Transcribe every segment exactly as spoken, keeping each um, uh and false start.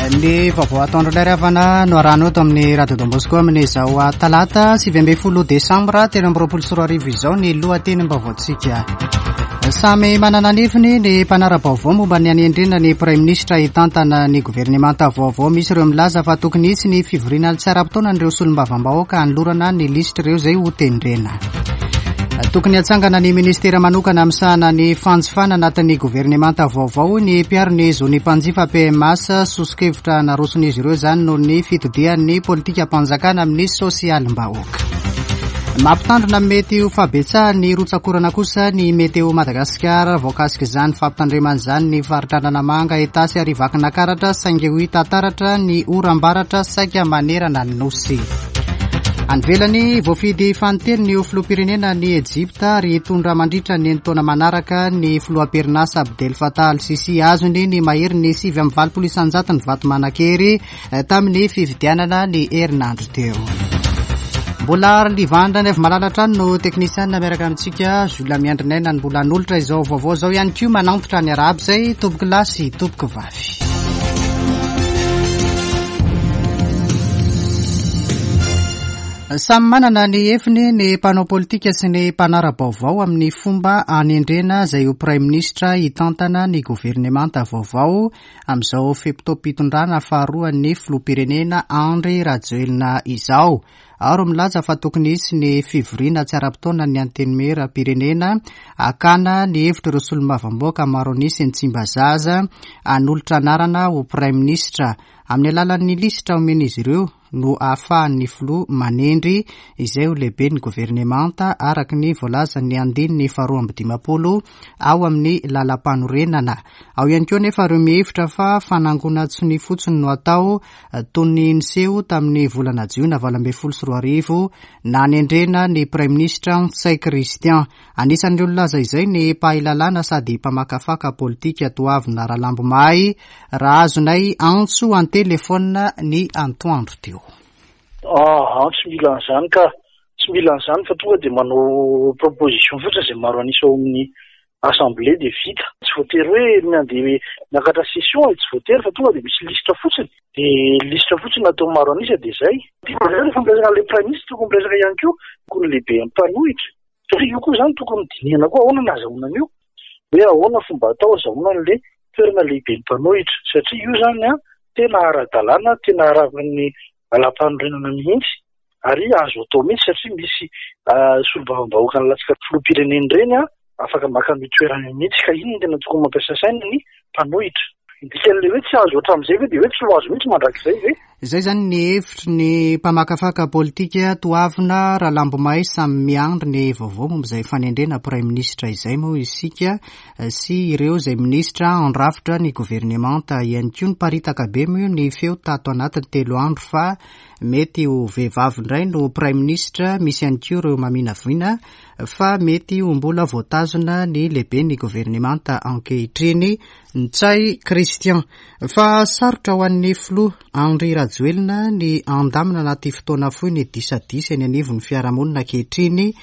Ny vaovao atoandro ilay ravana no arahana eto amin'ny Radio Don Bosco amin'izao talata sivy ambin'ny folo desambra telo amby roapolo sy roa arivo izao ny lohatenim-baovaontsika. Samy manana ny heviny ny mpanara-baovao momba ny hanendrena ny praiminisitra hitantana ny governemanta vaovao. Misy ireo milaza fa tokony hisy ny fivoriana tsy ara-potoanan'ireo solombavambahoaka hanolorana ny lisitr'ireo izay ho tendrena. Tokony hatsangana ny ministera manokana misahana ny fanjifana anatin'ny governemanta vaovao ny mpiaro ny zon'ny mpanjifa P M A S. Soso-kevitra naroson'izy ireo izany noho ny fitodian'ny politikam-panjakana amin'ny sosialim-bahoaka. Mampitandrina mety ho fahabetsahan'ny rotsakorana kosa ny Météo Madagasikara. Voakasika izany fampitandremana izany ny faritra Analamanga, Itasy ary Vakinankaratra, saingy ho hita taratra ny oram-baratra saika manerana ny nosy. Any ivelany, voafidy fanintelony ny filoham-pirenena ny Ejipta ary hitondra mandritra ny enin-taona manaraka ny filoham-pirenasa Abdel Fattah al-Sisi. Azony ny mahery ny sivy amby valopolo isan-jato ny vato manan-kery tamin'ny fifidianana ny herinandro teo. Mbola Livandra ny avy malala hatrany no teknisianina miaraka amintsika. Jules Miandrinaina ny mbola hanolotra izao vaovao izao ihany koa manantitra ny arahaba izay tompoko lahy sy tompoko vavy. Samy manana ny heviny ny mpanao politika sy ny mpanara-baovao amin'ny fomba hanendrena izay ho praiminisitra hitantana ny governemanta vaovao amin'izao fe-potoam-pitondrana faharoan'ny filoham-pirenena Andry Rajoelina izao. Ary milaza fa tokony hisy ny fivoriana tsy ara-potoana ny antenimieram-pirenena hakana ny hevitr'ireo solombavambahoaka maro an'isa ny Tsimbazaza hanolotra anarana ho praiminisitra. Amin'ny alalan'ny lisitra omen'izy ireo no ahafahan'ny filoha manendry izay ho lehiben'ny governemanta araka ny voalazan'ny andininy faharoa amby dimampolo ao amin'ny lalam-panorenana. Ao ihany koa nefa ireo mihevitra fa fanangonan-tsonia fotsiny no atao toy ny niseho tamin'ny volana jiona valo ambin'ny folo sy roa arivo nanendrena ny praiminisitra Ntsay Christian. Anisan'ireo nilaza izay ny mpahay lalàna sady mpamakafaka politika Toavina Ralambomahay raha azonay antso an-telefônina ny antoandro teo. Ah, tsy mila an'izany ka, tsy mila an'izany fa tonga dia manao proposition fotsiny izay maro an'isa ao amin'ny assemblée dia vita. Tsy voatery hoe mandeha miakatra session, tsy voatery fa tonga dia misy lisitra fotsiny. Dia lisitra fotsiny natao maro an'isa dia izay. Rehefa miresaka ilay praiminisitra tokony miresaka ihany koa koa ny lehibe mpanohitra. Satria io koa izany tokony dinihana koa ahoana no ahazoana an'io. Hoe ahoana fomba atao ahazoana an'ilay toerana lehibe mpanohitra. Satria io izany an, tena ara-dalàna, tena arahan'ny lalam-panorenana mihitsy ary azo atao mihitsy satria misy solombavambahoaka nilatsaka filoham-pirenena ireny an, afaka maka ny toerana mihitsy ka iny no tena tokony mampiasa saina ny mpanohitra. Dikan'ilay hoe tsy azo hatramin'izay ve dia hoe tsy ho azo mihitsy mandrakizay ve? Izay izany ny hevitry ny mpamakafaka politika Toavina Ralambomahay. Samy miandry ny vaovao momba izay fanendrena praiminisitra izay moa isika sy ireo izay minisitra handrafitra ny governemanta ihany koa. Niparitaka be moa ny feo tato anatin'ny telo andro fa mety ho vehivavy indray no praiminisitra. Misy ihany koa ireo maminavina fa mety ho mbola voatazona ny lehiben'ny governemanta ankehitriny Ntsay Christian. Fa sarotra ho an'ny filoha Andry Rajoelina ny handamina anaty fotoana fohy ny disadisa eny anivon'ny fiarahamonina ankehitriny.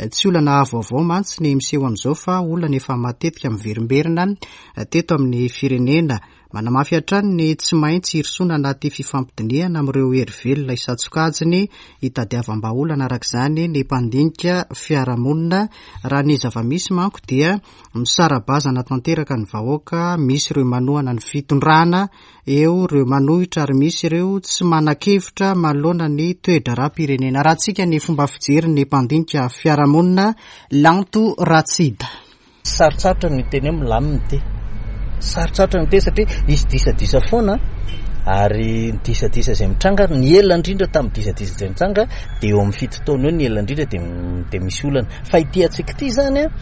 Tsy olana vaovao mantsy ny miseho amin'izao fa olana efa matetika miverimberina teto amin'ny firenena. Manamafy hatrany ny tsy maintsy hirosoana anaty fifampidinihana amin'ireo hery velona isan-tsokajiny hitadiavam-bahaolana araka izany ny mpandinika fiarahamonina. Raha ny zava-misy manko dia misara-bazana tanteraka ny vahoaka, misy ireo manohana ny fitondrana, eo ireo manohitra ary misy ireo tsy manan-kevitra manoloana ny toe-draharaham-pirenena. Raha tsika ny fomba fijery ny mpandinika fiarahamonina Lanto Ratsida. Sarotsarotra ny teny hoe milamina ity. Sarotsarotra ny teny satria hisy disadisa foana ary ny disadisa izay mitranga, ny ela indrindra tamin'ny disadisa izay mitranga dia eo amin'ny fito taona eo ny ela indrindra dia m-, dia misy olana. Fa ity antsika ity izany an,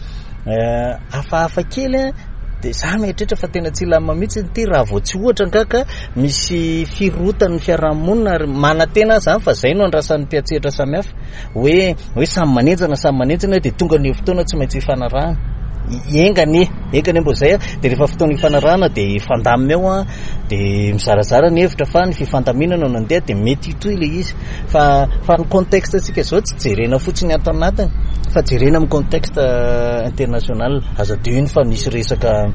eh, hafahafa kely an, dia za mieritreritra fa tena tsy hilamina mihitsy ity raha vao tsy ohatra angaka misy firotan'ny fiarahamonina ary manantena aho izany fa izay no andrasan'ny mpiantsehatra samihafa hoe, hoe samy manenjana, samy manenjana dia tonga ny fotoana tsy maintsy hifanarahana. Enga anie, enga anie mbo izay an, dia rehefa fotoana hifanarahana dia hifandamina eo an, dia mizarazara ny hevitra fa ny fifandaminana no nandeha dia mety hitohy ilay izy. Fa, fa ny contexte antsika izao tsy jerena fotsiny ato anatiny fa jerena amin'ny contexte international. Aza adino fa nisy resaka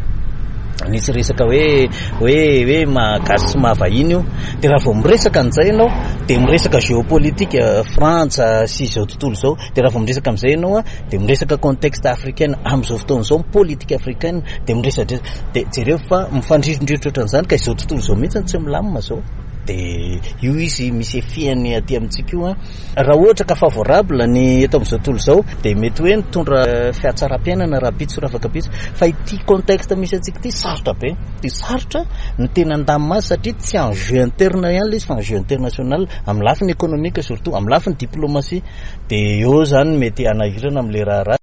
Nisy resaka hoe hoe hoe mahagasy sy mahavahiny io. Dia raha vao miresaka an'izay ianao dia miresaka géopolitique Frantsa sy izao tontolo izao. Dia raha vao miresaka amin'izay ianao dia miresaka contexte africain amin'izao fotoana izao, politique africaine, dia miresadresaka. Dia jereo fa mifandrirodrirotra ohatran'izany ka izao tontolo izao mihitsy tsy milamina izao. Dia io izy misy effet-ny aty amintsika io. Raha ohatra ka favorable ny eto amin'izao tontolo izao dia mety hoe nitondra fihatsaram-piainana rahampitso raha afaka-pitso. Fa ity contexte misy antsika ity sarotra be. Dia sarotra ny tena andamina azy satria tsy enjeu interne ihany ilay izy fa enjeu international amin'ny lafiny économique surtout, amin'ny lafiny diplomatie. Dia eo zany mety hanahirana amin'ilay raharaha.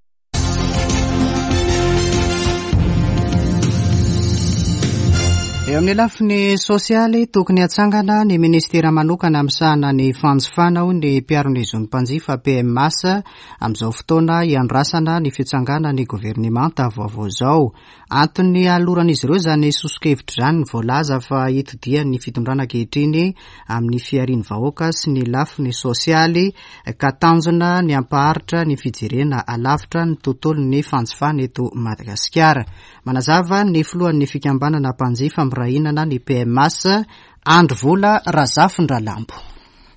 Eo amin'ny lafiny sosialy, tokony hatsangana ny ministera manokana misahana ny fanjifana hoy ny mpiaro ny zon'ny mpanjifa P M A S amin'izao fotoana hiandrasana ny fitsanganan'ny ny governemanta vaovao izao. Antony aloran'izy ireo izany soso-kevitra izany ny voalaza fa hitodian'ny fitondrana ankehitriny amin'ny fiharian'ny vahoaka sy ny lafiny sosialy ka tanjona ny hampaharitra ny fijerena alavitra ny tontolon'ny fanjifana eto Madagasikara. Manazava ny filohan'ny fikambanana mpanjifa mirahinana ny P M A S, Andry Vola Razafindralambo.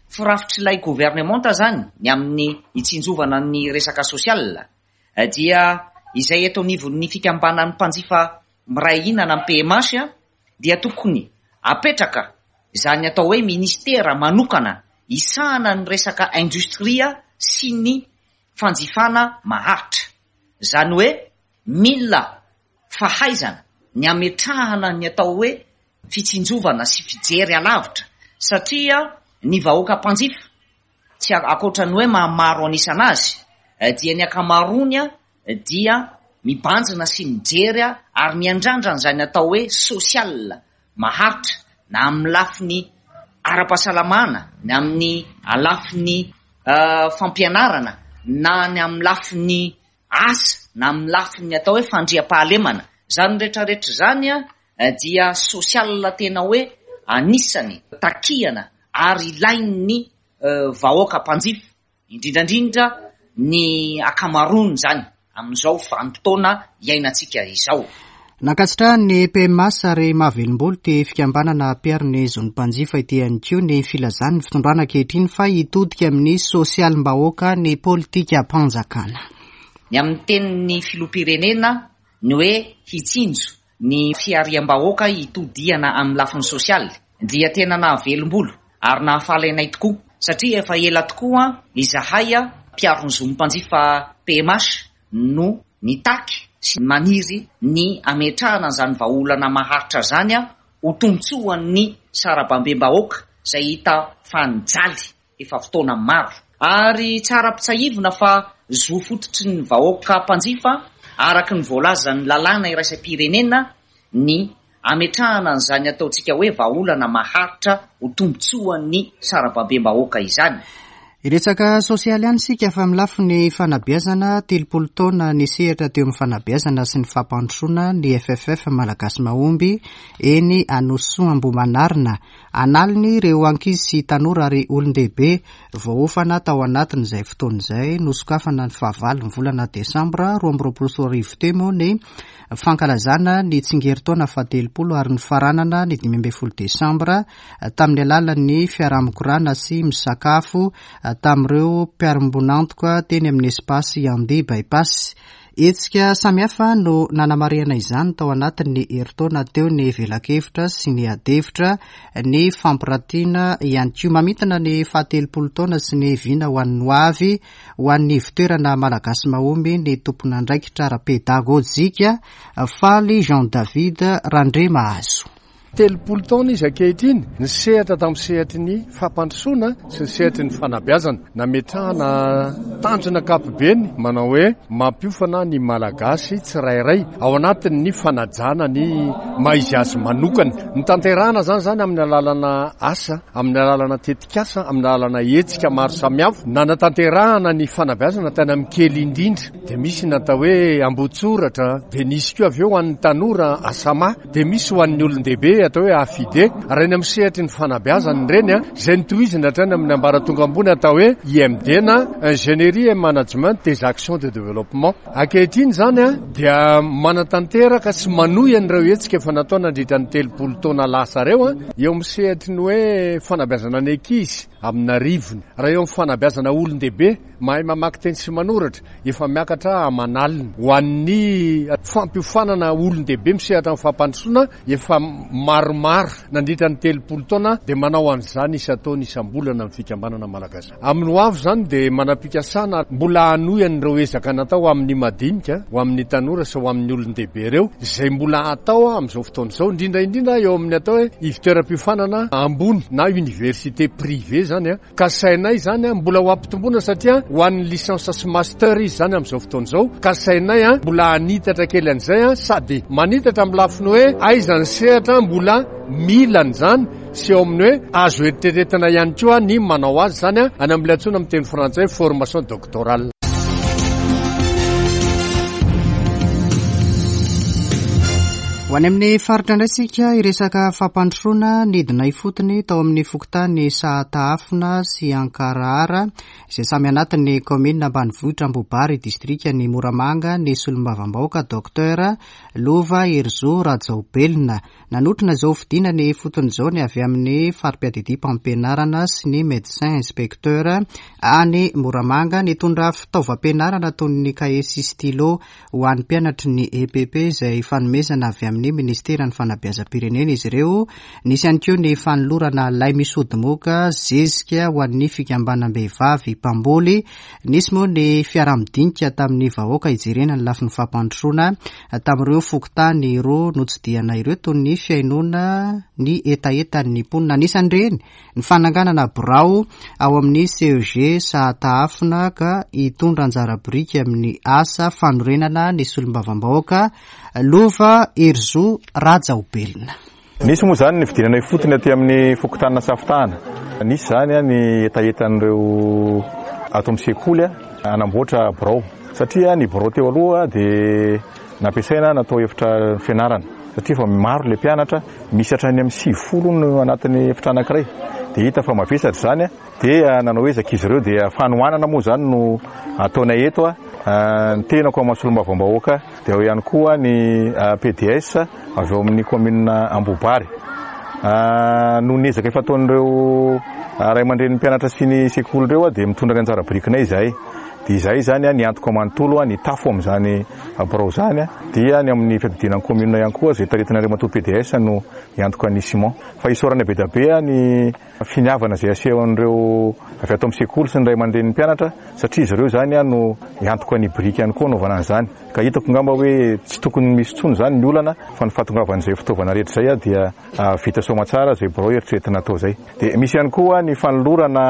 Firafitr'ilay governemanta zany ny amin'ny hitsinjovana ny resaka sosial dia izay eto anivon'ny fikambanan'ny mpanjifa miray hinana amin'ny P M H dia tokony apetraka izany atao hoe ministera manokana hisahana ny resaka industria sy ny fanjifana maharitra. Izany hoe mila fahaizana ny ametrahana ny atao hoe fitsinjovana sy fijery alavitra satria ny vahoaka mpanjifa tsy ankoatra ny hoe mahamaro anisana azy dia ny ankamaroany dia mibanjina sy mijery ary miandrandra an'izany atao hoe social maharitra na amin'ny lafiny ara-pahasalamana, na amin'ny lafiny fampianarana, na ny amin'ny lafiny asa, na amin'ny lafiny atao hoe fandriampahalemana. Izany rehetrarehetra izany dia social tena hoe anisany takiana ary ilain'ny vahoaka mpanjifa, indrindrandrindra ny ankamaroany izany amin'izao vanim-potoana iainantsika izao. Nankasitrahan'ny P M A S ary mahavelom-bolo ity fikambanana mpiaro ny zon'ny mpanjifa ity ihany koa ny filazan'ny fitondrana ankehitriny fa hitodika amin'ny sosialim-bahoaka ny politikam-panjakana. Ny amin'ny tenin'ny filoham-pirenena ny hoe hitsinjo ny fihariam-bahoaka hitodihana amin'ny lafiny sosialy dia tena nahavelom-bolo ary nahafaly anay tokoa satria efa ela tokoa izahay mpiaro ny zon'ny mpanjifa P M H no nitaky sy maniry ny ametrahana an'izany vahaolana maharitra izany ho tombontsoan'ny sarabambem-bahoaka izay hita fa nijaly efa fotoana maro. Ary tsara ampitsahivina fa zo fototry ny vahoaka mpanjifa araka ny voalazan'ny lalàna iraisam-pirenena ny ametrahana an'izany ataontsika hoe vahaolana maharitra ho tombontsoan'ny sarabambem-bahoaka izany. Hiresaka sosialy ihany isika fa amin'ny lafiny fanabeazana, telopolo taona ny sehatra teo amin'ny fanabeazana sy ny fampandrosoana ny F F F Malagasy Mahomby eny Anosisoa Ambohimanarina. Analiny ireo ankizy sy tanora ary olon-dehibe voaofana tao anatin'izay fotoana izay. Nosokafana ny fahavalo ny volana desambra roa amby roapolo sy roa arivo teo moa ny fankalazana ny tsingerin-taona fahatelopolo ary ny faranana ny dimy ambin'ny folo desambra tamin'ny alalan'ny fiaraha-mikorana sy misakafo tamin'ireo mpiara-miombon'antoka teny amin'ny espace Yandy Bypass. Hetsika samihafa no nanamarihana izany tao anatin'ny herintaona teo ny velakevitra sy ny adihevitra, ny fampiratiana ihany koa. Mamintina ny fahatelopolo taona sy ny vina ho an'ny hoavy ho an'ny ivontoerana Malagasy Mahomby ny tompon'andraikitra ara-pedagôjika Faly Jean David Randriamahazo. Telopolo taona izy ankehitriny ny sehatra tamin'ny sehatry ny fampandrosoana sy ny sehatry ny fanabeazana. Nametrahana tanjona ankapobeny manao hoe mampiofana ny Malagasy tsirairay ao anatin'ny fanajana ny maha izy azy manokana. Ny tanterahana izany izany amin'ny alalana asa, amin'ny alalana tetikasa, amin'ny alalana hetsika maro samihafa. Nanatanterahana ny fanabeazana tany amin'ny kely indrindra dia misy ny atao hoe ambotsoratra, dia nisy koa avy eo ho an'ny tanora asama, dia misy ho an'ny olon-dehibe atao hoe A F I D, raha eny amin'ny sehatry ny fanabeazana ireny a, izay nitohizina hatrany amin'ny ambaratonga ambony atao hoe I M D na ingénierie et management des actions de développement. Ankehitriny zany a dia manatanteraka sy manohy an'ireo hetsika efa natao nandritra ny telopolo taona lasa reo a, eo amin'ny sehatry ny hoe fanabeazana ny ankizy amin'arivony, raha eo amin'ny fanabeazana olon-dehibe mahay mamaky teny sy manoratra efa miakatra aman'alina, ho an'ny fampiofanana olon-dehibe misehatra amin'ny fampandrosoana efa maromaro nandritra ny telopolo taona, dia manao an'izany isan-taona isam-bolana amin'ny fikambanana malagasy. Amin'ny ho avy zany dia manam-pikasana mbola hanohy an'ireo ezaka natao amin'ny madinika, ho amin'ny tanora sy ho amin'ny olon-dehibe ireo, izay mbola atao amin'izao fotoana izao, indrindra indrindra eo amin'ny atao hoe ivontoeram-piofanana ambony na université privé zany a. Kasainay zany a mbola ho ampitomboana, satria ho an'ny licence sy master izy zany amin'izao fotoana izao. Kasainay a mbola hanitatra kely an'izay a, sady manitatra amin'ny lafiny hoe aiza ny sehatra mbola milany zany, sy eo amin'ny hoe azo eritreretina ihany koa ny manao azy zany a any amin'ilay antsoina amin'ny teny frantsay formation doctorale. Ho any amin'ny faritra indray isika hiresaka fampandrosoana. Nidina ifotony tao amin'ny fokontany Sahatahafina sy Ankarahara, izay samy anatin'ny kaominina ambanivohitra Ambohibary, distrika ny Moramanga, ny solombavambahoaka Docteur Lova Herizo Rajaobelina. Nanotrona izao fidinana ifotony izao ny avy amin'ny fari-piadidiam-pampianarana sy ny médecin inspecteur any Moramanga. Nitondra fitaovam-pianarana toy ny kahie sy stylo ho an'ny mpianatry ny E P P, izay fanomezana avy amin'ny ministeran'ny fanabeazam-pirenena izy ireo. Nisy ihany koa ny fanolorana lay misy ody moka, zezika ho an'ny fikambanam-behivavy mpamboly. Nisy moa ny fiaraha-midinika tamin'ny vahoaka hijerena ny lafiny fampandrosoana tamin'ireo fokontany roa notsidihana ireo, toy ny fihainoana ny hetahetan'ny mponina. Anisan'ireny ny fananganana birao ao amin'ny C E G Sahatahafina, ka hitondra anjara biriky amin'ny asa fanorenana ny solombavambahoaka Lova Herizo Rajaobelina. Nisy moa zany ny fidinana ifotony aty amin'ny fokontany Safitahana. Nisy zany a ny hetahetan'ireo ato amin'ny sekoly a anamboatra birao, satria ny birao teo aloha dia nampiasaina natao efitra fianarana, satria fa maro le mpianatra, misy hatrany amin'ny sivifolo no anatin'ny efitra anankiray, dia hita fa mavesatra zany a. Dia nanao ezaka izy ireo, dia fanohanana moa zany no ataonay eto a, ny tenako amin'ny solombavambahoaka, dia ao ihany koa ny P D S avy eo amin'ny commune Ambohibary. Noho ny ezaka efa ataon'ireo ray aman-drenin'ny mpianatra sy ny sekoly ireo a, dia mitondra ny anjara birikinay izahay. Dia izahay zany a ny antoko manontolo a ny tafo amin'izany birao zany a, dia ny amin'ny fiadidiana ny commune ihany koa izay taritina Andriamatoa P D S no hiantoka ny ciment. Fa isaorana be dia be a ny finiavana izay asehon'ireo avy ato amin'ny sekoly sy ny ray aman-drenin'ny mpianatra, satria izy ireo zany a no hiantoka ny biriky ihany koa anaovana an'izany, ka hitako ngamba hoe tsy tokony misy intsony zany ny olana, fa ny fahatongavan'izay fitaovana rehetra zay a dia vita soa aman-tsara zay birao eritreretina atao zay. Dia misy ihany koa ny fanolorana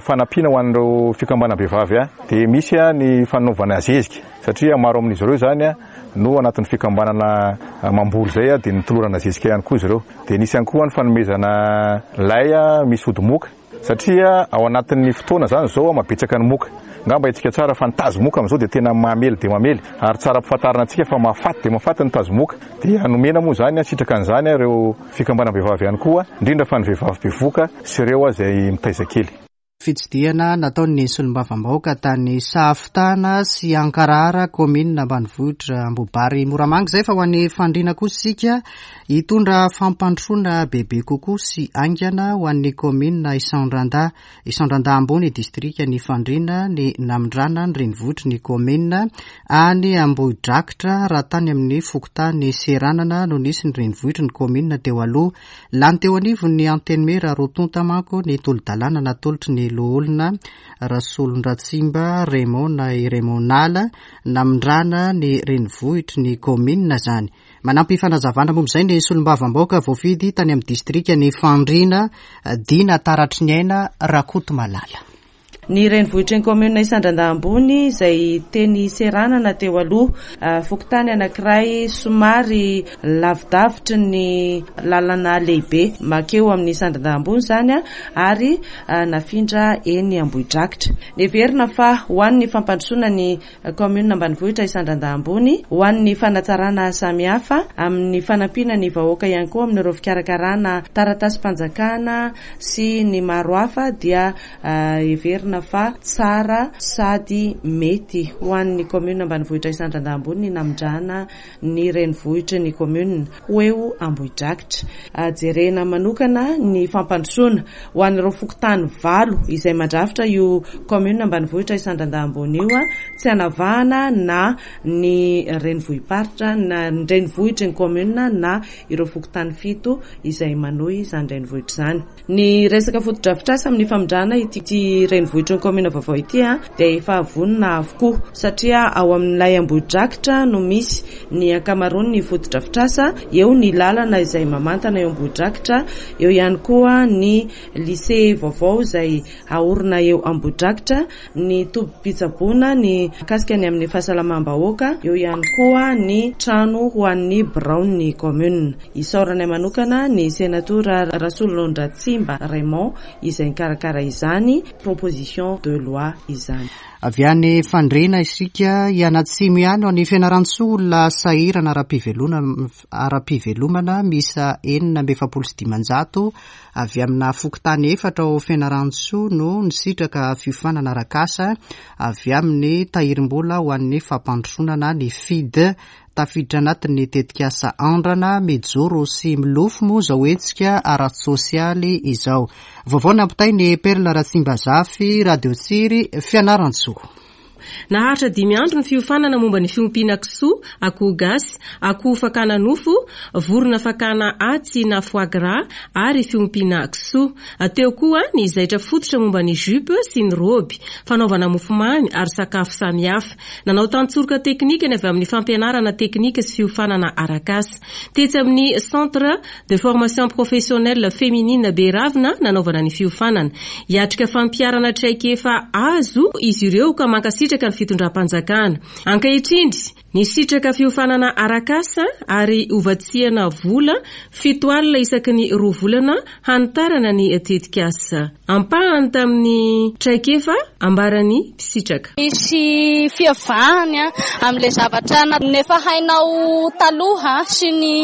fanampiana ho an'ireo fikambanam-behivavy a, dia misy a ny fanaovana zezika, satria maro amin'izy ireo zany a no anatin'ny fikambanana mamboly zay a, dia nitolorana zezika ihany koa izy ireo. Dia nisy ihany koa ny fanomezana lay a misy ody moka, satria ao anatin'ny fotoana zany zao a mabetsaka ny moka. Ngamba hitsika tsara fa ny tazo moka am'izao dia tena mamely dia mamely, ary tsara ampifantarina antsika fa mahafaty dia mahafaty ny tazo moka. Dia nomena moa zany a sitraka an'izany a ireo fikambanam-behivavy ihany koa, indrindra fa ny vehivavy bevoka sy ireo a izay mitaiza kely. Fitsidihana nataon'ny solombavambahoaka tany Sahafitana sy Ankarahara, kaominina ambanivohitra Ambohibary Moramanga izay. Fa ho an'ny Fandriana kosa isika, hitondra fampandrosoana bebe kokoa sy haingana ho an'ny kaominina Isandrandahy Isandrandahy ambony, distrika ny Fandriana, ny namindrana ny renivohitry ny kaominina any Ambohidrakitra, raha tany amin'ny fokontany Seranana no nisy ny renivohitry ny kaominina teo aloha. Lany teo anivon'ny antenimiera roa tonta manko ny tolo-dalàna natolotry ny loholona Rasolondratsimba Raymond na i Raymond Nala, namindrana ny renivohitry ny kaominina zany. Manampy fanazavana momba izay ny solombavambahoaka voafidy tany amin'ny distrika ny Fandriana, Dina Taratry ny Aina Rakoto Malala. Ny renivohitry ny kaominina Isandrandahy Ambony izay teny Seranana teo aloha, fokontany anankiray somary lavidavitry ny lalana lehibe makeo amin'ny Isandrandahy Ambony izany, ary nafindra eny Ambohidrakitra. Neverina fa ho an'ny fampandrosoana ny kaominina ambanivohitra Isandrandahy Ambony, ho an'ny fanatsarana samihafa amin'ny fanampiana ny vahoaka ihany koa amin'ireo fikarakarana taratasim-panjakana sy ny maro hafa, dia heverina fa tsara sady mety ho an'ny kaominina ambanivohitra Isandrandahy Ambony ny namindrana ny renivohitry ny kaominina ho eo Ambohidrakitra. Jerena manokana ny fampandrosoana ho an'ireo fokontany valo izay mandrafitra io kaominina ambanivohitra Isandrandahy Ambony io, tsy anavahana na ny renivohi-paritra na ny renivohitry ny kaominina na ireo fokontany fito izay manohy izany renivohitra izany. Ny resaka fotodrafitrasa amin'ny famindrana ity renivohitry ny kaominina vaovao ity dia efa vonona avokoa, satria ao amin'ilay Ambohidrakitra no misy ny ankamaroan'ny fotodrafitrasa. Eo ny lalana izay mamantana eo Ambohidrakitra, eo ihany koa ny lycée vaovao izay haorina eo Ambohidrakitra, ny tobim-pitsaboana ny mikasika ny amin'ny fahasalamam-bahoaka, eo ihany koa ny trano ho an'ny biraon'ny kaominina. Isaoranay manokana ny senatora Rasolonondratsimba Raymond izay nikarakara izany proposition de loi izany. Avy any Fandriana isika hianatsimo ihany ao ny Fianarantsoa, olona sahirana ara-pivelomana miisa enina amby efapolo sy dimanjato avy amina fokontany efatra ao Fianarantsoa no nisitraka fiofanana arak'asa avy amin'ny tahirim-bola ho an'ny fampandrosoana na ny F I D. Tafiditra anatin'ny tetikasa andrana mijoro sy milofo moa izao hetsika ara-tsosialy izao. Vaovao nampitainy Perla Ratsimbazafy, Radio Tsiry, Fianarantsoa. Naharitra dimy andro ny fiofanana momba ny fiompiana kisoa, akoho gasy, akoho fakana nofo, vorona fakana atsy na foie gras ary fiompiana kisoa. Teo koa ny zaitra fototra momba ny jupe sy ny robe, fanaovana mofomamy ary sakafo samihafa. Nanao tantsoroka teknika ny avy amin'ny fampianarana teknika sy fiofanana arak'asa. Tetsy amin'ny Centre de formation professionnelle féminine Beravina nanaovana ny fiofanana. Hiatrika fampiharana traikefa azo izy ireo ka mankasitraka ny fitondram-panjakana. Ankehitriny, nisitraka fiofanana arak'asa ary hovatsiana vola fito alina isaky ny roa volana hanitarana ny tetikasa. Ampahany tamin'ny traikefa ambaran'ny mpisitraka. Misy fiavahany amin'ilay zavatra nefa hainao taloha sy ny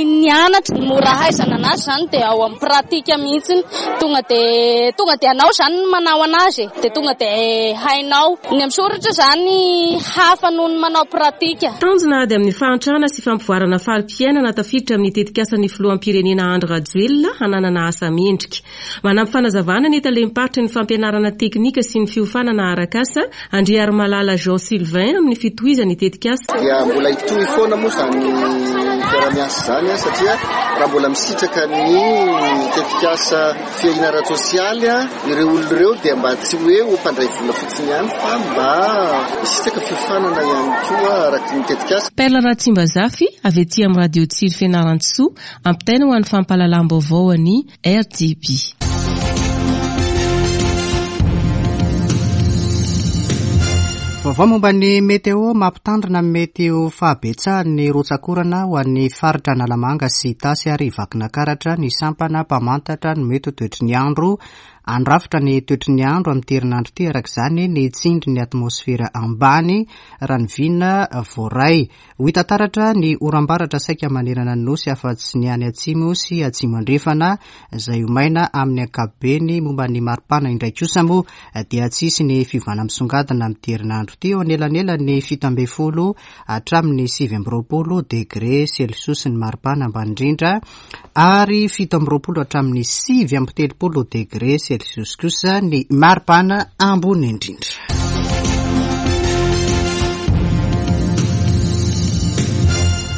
nianatra. Mora haizana anazy izany dia ao amin'ny pratika mihitsy. Tonga dia tonga dia anao izany no manao anazy dia tonga dia hainao. Ny amin'ny soratra izany hafa noho ny manao pratika. Tanjona ady amin'ny fahantrana sy fampivoarana fari-piainana tafiditra amin'ny tetikasan'ny filoham-pirenena Andry Rajoelina hananana asa mendrika. Manampy fanazavana ny talem-paritry ny fampianarana teknika sy ny fiofanana arak'asa Andriarimalala Jean Sylvain amin'ny fitohizan'ny tetikasa. Dia mbola hitohy foana moa izany fiaraha-miasa izany, satria raha mbola misitraka ny tetikasa fiahiana ara-tsosialy ireo olona ireo dia mba tsy hoe ho mpandray vola fotsiny ihany fa mba misitraka fiofanana ihany koa araka ny tetikasa. Perla Ratsimbazafy avy aty amin'ny Radio Tsiry Fianarantsoa, ampitaina ho an'ny fampahalalam-baovao an'ny R T B. Vaovao momba ny meteo mampitandrina ny mety ho fahabetsahan'ny rotsakorana ho an'ny faritra Analamanga sy Itasy ary Vakinankaratra ny sampana mpamantatra ny mety ho toetry ny andro. Andrafitra ny toetry ny andro amin'ity herinandro ity araka izany ny tsindry ny atmosfera ambany raha ny vina voaray. Ho hita taratra ny oram-baratra saika manerana ny nosy afa-tsy ny any atsimo sy atsimo andrefana izay ho maina amin'ny ankapobeny. Momba ny maripana indray kosa moa dia tsy hisy ny fiovana misongadina amin'ity herinandro ity, eo anelanelan'ny fito ambin'ny folo hatramin'ny sivy amby roapolo degré celsius ny maripana ambany indrindra ary fito amby roapolo hatramin'ny sivy amby telopolo degré celsius kosa ny maripana ambony indrindra.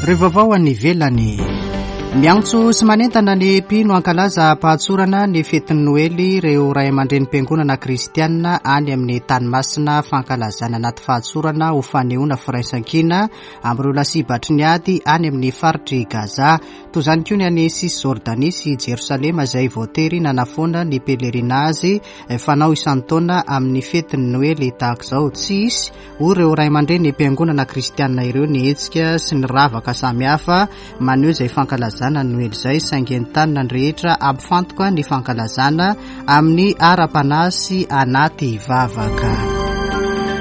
Ireo vaovao any ivelany. Miantso sy manentana ny mpino hankalaza am-pahatsorana ny fetin'ny Noely ireo ray aman-drenim-piangonana kristianina any amin'ny tany masina. Fankalazana anaty fahatsorana ho fanehoana firaisankina amin'ireo lasibatry ny ady any amin'ny faritry Gaza. Toy izany koa ny any Cisjordanie sy Jerosalema izay voatery nanafoana ny pèlerinage fanao isan-taona amin'ny fetin'ny Noely tahaka izao. Tsy hisy, hoy ireo ray aman-dreny mpiangonana kristianina ireo, ny hetsika sy ny ravaka samihafa maneho izay fankalazana ny Noely izay, saingy entanina ny rehetra hampifantoka ny fankalazana amin'ny ara-panahy sy anaty vavaka.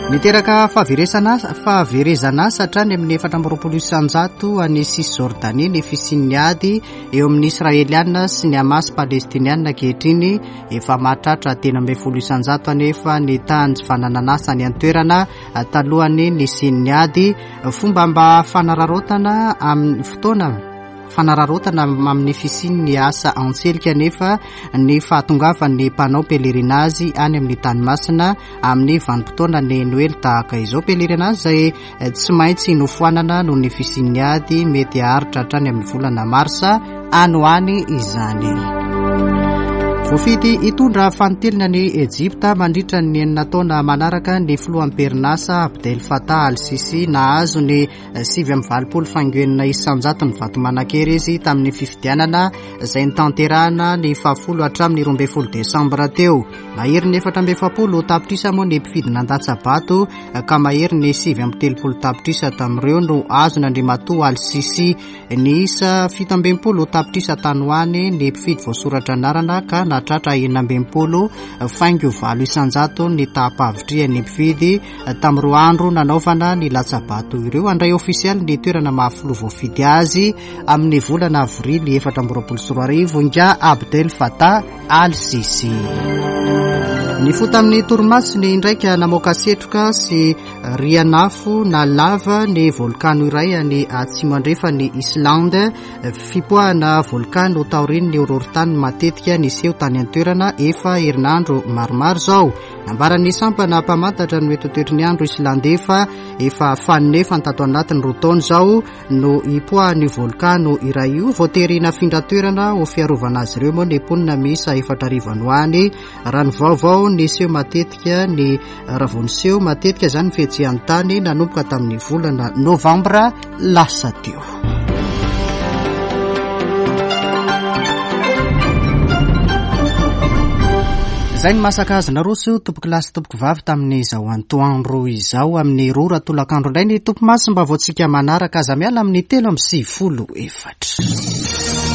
Niteraka fahaveresana fahaverezana asa hatrany amin'ny efatra amby roapolo isanjato any Cisjordanie ny fisian'ny ady eo amin'ny Israeliana sy ny Hamas palestiniana ankehitriny. Efa mahatratra telo ambin'ny folo isanjato anefa ny tahan'ny tsy fananan'asa any an-toerana talohan'ny nisian'ny ady. Fomba mba fanararaotana amin'ny fotoana fanararaotana amin'ny fisian'ny asa antselika anefa ny fahatongavan'ny mpanao pèlerinage any amin'ny tany masina amin'ny vanim-potoana ny Noely tahaka izao. Pèlerinage izay tsy maintsy nofoanana noho ny fisian'ny ady mety haharitra hatrany amin'ny volana marsa any ho any izany. Voafidy hitondra fanintelony any Ejipta mandritra ny enina taona manaraka ny filoha am-perinasa Abdel Fattah al-Sisi. Nahazo ny sivy amby valopolo faingo enina isanjato ny vato manan-kery izy tamin'ny fifidianana izay nitanterahana ny fahafolo hatramin'ny roa ambin'ny folo desambra teo. Mahery ny efatra amby efapolo tapitrisa moa ny mpifidy nandatsa-bato ka mahery ny sivy amby telopolo tapitrisa tamin'ireo no azon'Andriamatoa al-Sisi. Ny isa fito amby enimpolo tapitrisa tany ho any ny mpifidy voasoratra anarana ka nahatratra enina amby enimpolo faingo valo isanjato ny taham-pahavitrihan'ny mpifidy tamin'ny roa andro nanaovana ny latsa-bato ireo. Handray ofisialy ny toerana mahafiloha voafidy azy amin'ny volana avrily efatra amby roapolo sy roa arivo nga Abdel Fattah al-Sisi. Nifoha tamin'ny torimasony indraika namoaka setroka sy rianafo na lava ny volkano iray any atsimo andrefan'ny Islande. Fipoahana volkano taorian'ny horohorontany matetika niseho tany an-toerana efa herinandro maromaro izao. Nambaran'ny sampana mpamantatra ny mety ho toetry ny andro islandais fa efa faninefany tato anatin'ny roa taona izao no hipoahan'io volkano iray io. Voatery nafindra toerana ho fiarovana azy ireo moa ny mponina miisa efatra arivo any ho any. Raha ny vaovao niseho matetika ny raha vao niseho matetika izany ny fihetsehan-tany nanomboka tamin'ny volana novambra lasa teo. Izay ny masaka azy naroso tompoko lahy sy tompoko vavy tamin'izao antoandro izao amin'ny roa ora tolakandro indray ny tompo masy mba voatsika manaraka aza miala amin'ny telo amby sivifolo efatra.